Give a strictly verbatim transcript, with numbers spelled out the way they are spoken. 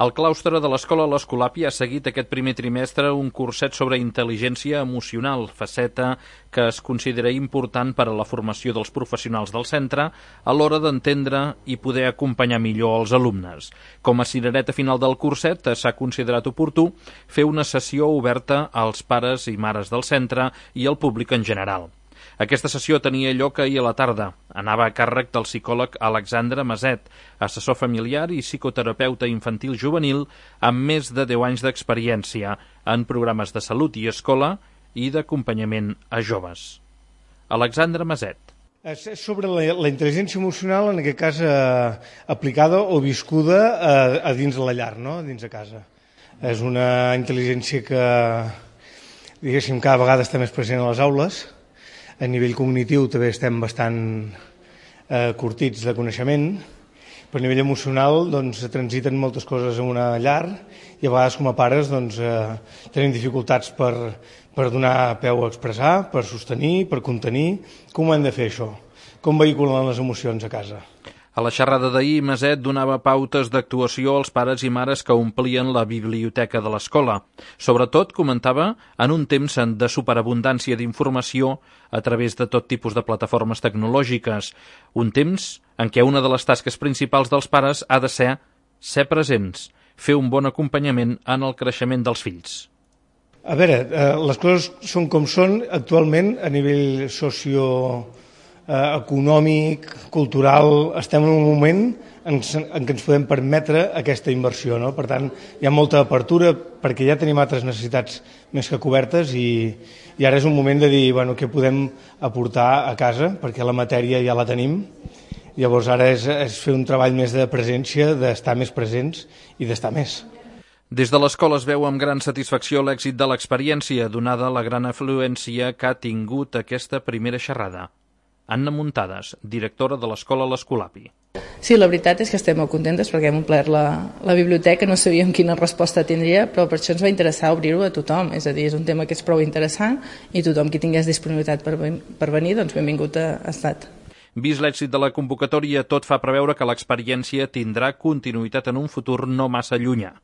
El claustre de l'Escola l'Escolapi ha seguit aquest primer trimestre un curset sobre intel·ligència emocional, faceta que es considera important per a la formació dels professionals del centre a l'hora d'entendre i poder acompanyar millor els alumnes. Com a cirereta final del curset s'ha considerat oportú fer una sessió oberta als pares i mares del centre i al públic en general. Aquesta sessió tenia lloc ahir a la tarda. Anava a càrrec del psicòleg Alexandre Maset, assessor familiar i psicoterapeuta infantil juvenil amb més de deu anys d'experiència en programes de salut i escola i d'acompanyament a joves. Alexandre Maset. És sobre la, la intel·ligència emocional, en aquest cas eh, aplicada o viscuda a, a dins de la llar, no? A dins de casa. És una intel·ligència que, diguéssim, cada vegada està més present a les aules. A nivell cognitiu també estem bastant eh, curtits de coneixement, però a nivell emocional doncs, transiten moltes coses en una llar i a vegades com a pares doncs, eh, tenim dificultats per, per donar peu a expressar, per sostenir, per contenir. Com ho hem de fer això? Com vehiculen les emocions a casa? A la xerrada d'ahir, Maset donava pautes d'actuació als pares i mares que omplien la biblioteca de l'escola. Sobretot, comentava, en un temps de superabundància d'informació a través de tot tipus de plataformes tecnològiques. Un temps en què una de les tasques principals dels pares ha de ser ser presents, fer un bon acompanyament en el creixement dels fills. A veure, eh, les coses són com són actualment a nivell socio Eh, econòmic, cultural, estem en un moment en, en què ens podem permetre aquesta inversió, no? Per tant, hi ha molta apertura perquè ja tenim altres necessitats més que cobertes i, i ara és un moment de dir, bueno, què podem aportar a casa, perquè la matèria ja la tenim. Llavors ara és, és fer un treball més de presència, d'estar més presents i d'estar més. Des de l'escola es veu amb gran satisfacció l'èxit de l'experiència, donada la gran afluència que ha tingut aquesta primera xerrada. Anna Muntades, directora de l'Escola l'Escolapi. Sí, la veritat és que estem molt contentes perquè hem omplert la, la biblioteca, no sabíem quina resposta tindria, però per això ens va interessar obrir-ho a tothom, és a dir, és un tema que és prou interessant i tothom qui tingués disponibilitat per, per venir, doncs benvingut ha estat. Vist l'èxit de la convocatòria, tot fa preveure que l'experiència tindrà continuïtat en un futur no massa llunyà.